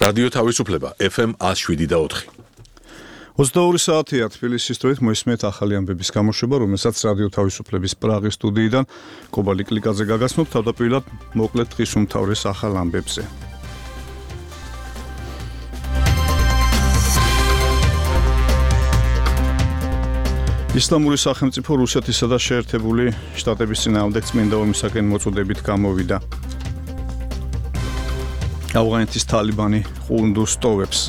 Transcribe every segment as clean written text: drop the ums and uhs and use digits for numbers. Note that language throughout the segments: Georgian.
რადიო თავისუფლება FM 107.4. 22 საათია თბილისის დროით მოისმენთ ახალი ამბების გამოშვება, რომელსაც რადიო თავისუფლების პრაღის სტუდიიდან კობალი კლიკაძე გაგაცნობთ. თავდაპირველად მოკლედ დღის უმთავრეს ახალ ამბებზე. ისლამური სახელმწიფო რუსეთისა და შეერთებული შტატების წინააღმდეგ წმინდა ომისაკენ მოწოდებით გამოვიდა. ავღანეთის თალიბანი ყუნდუს ტოვებს.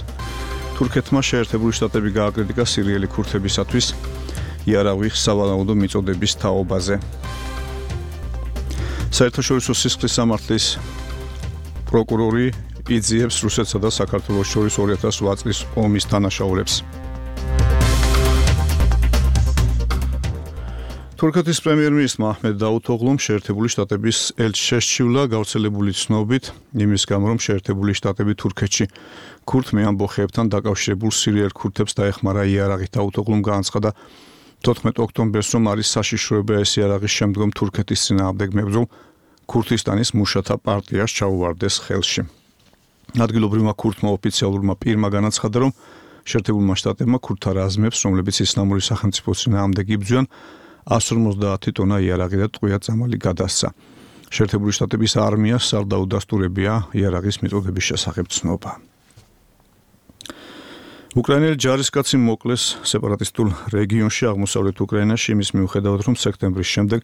თურქეთმა შეერთებული შტატები გააკრიტიკა სირიელი ქურთებისათვის იარაღის სავალაუდო მიწოდების თაობაზე. საერთაშორისო სისხლის სამართლის პროკურორი იძიებს რუსეთსა და საქართველოს შორის 2008 წლის ომის დანაშაულებს. თურქეთის პრემიერ-მინისტრმა აჰმედ დაუთოღლუმ შეერთებული შტატების ელჩი შესჩივლა გავრცელებული ცნობით იმის გამო, რომ შეერთებული შტატები თურქეთში ქურთმე ამბოხეებთან დაკავშირებულ სირიელ ქურთებს დაეხმარა იარაღით. დაუთოღლუმ განაცხადა 14 ოქტომბერს, რომ არის საშიშროება ეს იარაღის შემდგომ თურქეთის წინააღმდეგ მებრძოლ ქურთისტანის მუშათა პარტიას ჩაუვარდეს ხელში. ადგილობრივმა ქურთმა ოფიციალურმა პირმა განაცხადა, რომ შეერთებულმა შტატებმა ქურთთა რაზმებს, რომლებიც ისლამური სახელმწიფოს წინააღმდეგ იბრძვიან, 150 ტონა იარაღი და ტყვია წამალი გადასცა. შეერთებული შტატების არმიას არ დაუდასტურებია იარაღის მიწოდების შესახებ ცნობა. უკრაინელი ჯარისკაცი მოკლეს სეპარატისტულ რეგიონში აღმოსავლეთ უკრაინაში იმის მიუხედავად, რომ სექტემბრის შემდეგ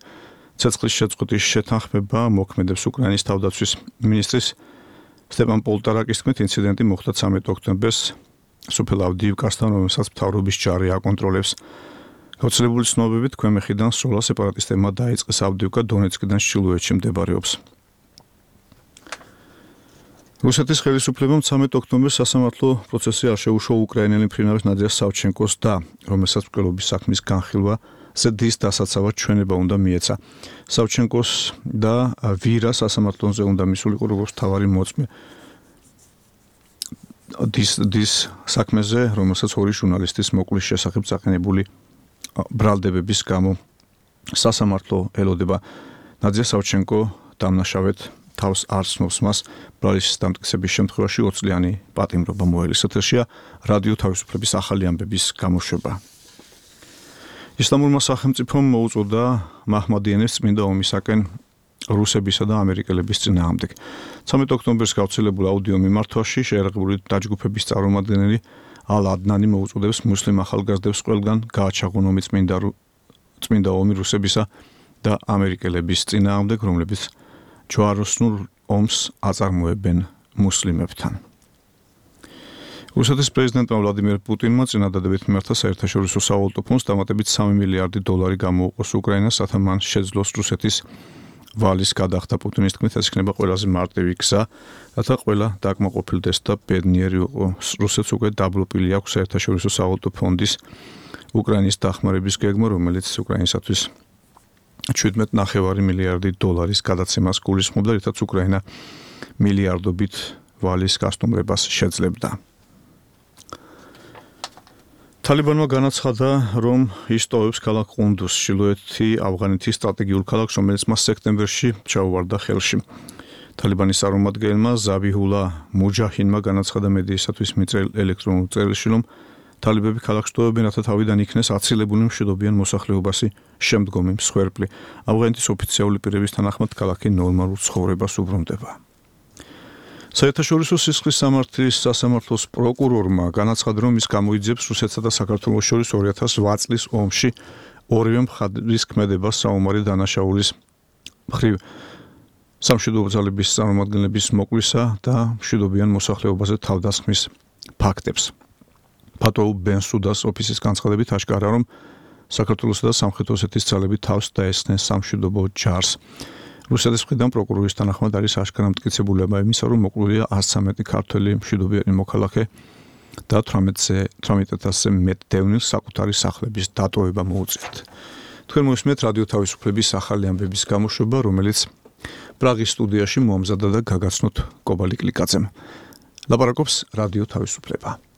ცეცხლის შეწყვეტის შეთანხმება მოქმედებს. უკრაინის თავდაცვის მინისტრის სტეპან პოლტარაკის თქმით, ინციდენტი მოხდა 13 ოქტომბერს სოფელ ავდიივკასთან, რომელსაც მთავრობის ჯარი აკონტროლებს. გავრცელებული ცნობებით ქვემეხიდან სროლა სეპარატისტებმა დაიწყეს ავდიივკა დონეცკიდან ჩრდილოეთში მდებარეობს. რუსეთის ხელისუფლებამ 13 ოქტომბერს სასამართლო პროცესი არ შეუშვა უკრაინელი მფრინავის ნადია სავჩენკოს და, რომელსაც მკვლელობის საქმის განხილვაზე დის დასაცავად ჩვენება უნდა მიეცა. სავჩენკოს და ვირა სასამართლოზე უნდა მისულიყო როგორც მთავარი მოწმე დის საქმეზე, რომელსაც ორი ჟურნალისტის მოკვლის შესახებ წაყენებული ბრალდებების გამო სასამართლო ელოდება. ნადია სავჩენკო დამნაშავედ თავს არ ცნობს მას ბრალის დამტკიცების შემთხვევაში 20 წლიანი პატიმრობა მოელის. ეთერშია რადიო თავისუფლების ახალი ამბების გამოშვება. ისლამურმა სახელმწიფომ მოუწოდა მაჰმადიანებს წმინდა ომისაკენ რუსებისა და ამერიკელების წინააღმდეგ. 13 ოქტომბერს გავრცელებულ აუდიო მიმართვაში შეერაღებული დაჯგუფების წარმომადგენელი ალ-ადნანი მოუწოდებს მუსლიმ ახალგაზრდებს ყველგან გააჩაღონ ომი წმინდა ომი რუსებისა და ამერიკელების წინააღმდეგ, რომლებიც ჯვაროსნულ ომს აწარმოებენ მუსლიმებთან. რუსეთის პრეზიდენტმა ვლადიმერ პუტინმა წინადადებით მიმართა საერთაშორისო სავალუტო ფონდს დამატებით $3 მილიარდი გამოუყოს უკრაინას, რათა მან შეძლოს რუსეთის ვალის გადახდა. პუტინის თქმით, ეს იქნება ყველაზე მარტივი გზა, რათა ყველა დაკმაყოფილდეს და ბედნიერი იყო. რუსეთს უკვე დაბლობილი აქვს საერთაშორისო სავალუტო ფონდის უკრაინის დახმარების გეგმა, რომელიც უკრაინისათვის $17.5 მილიარდი გადაცემას გულისხმობდა, რითაც უკრაინა მილიარდობით ვალის გასტუმრებას შეძლებდა. თალიბანმა განაცხადა, რომ ის ტოვებს ქალაქ ყუნდუს, ჩრდილოეთი ავღანეთის სტრატეგიულ ქალაქს, რომელიც მას სექტემბერში ჩაუვარდა ხელში. თალიბანის წარმომადგენელმა ზაბიჰულა მუჯაჰინმა განაცხადა მედიისათვის მიწერილ ელექტრონულ წერილში, რომ თალიბები ქალაქს ტოვებენ, რათა თავიდან იქნეს აცილებული მშვიდობიან მოსახლეობასი შემდგომი მსხვერპლი. ავღანეთის ოფიციალური პირების თანახმად ქალაქი ნორმალურ ცხოვრებას უბრუნდება. საერთაშორისო სისხლის სამართლის სასამართლოს პროკურორმა განაცხადა, რომ ის გამოიძიებს რუსეთსა და საქართველოს შორის 2008 წლის ომში ორივე მხარის ქმედებას საომარი დანაშაულის მხრივ სამშვიდობო ძალების წარმომადგენლების მოკლისა და მშვიდობიან მოსახლეობაზე თავდასხმის ფაქტებს. ფატო ბენსუდას ოფისის განცხადებით აშკარა, რომ საქართველოსა და სამხრეთ ოსეთის ძალები თავს დაესხნენ სამშვიდობო ჯარს. რუსეთის მხრიდან პროკურორის თანახმად არის აშკარა მტკიცებულება იმისა, რომ მოკლულია 113 ქართველი მშვიდობიანი მოქალაქე და 18,000-ზე მეტ დევნილს საკუთარი სახლების დატოვება მოუწიათ. თქვენ მოისმენთ რადიო თავისუფლების ახალი ამბების გამოშვება, რომელიც პრაღის სტუდიაში მოამზადა და გაგაცნოთ კობალი კლიკაძემ. ლაპარაკობს რადიო თავისუფლება.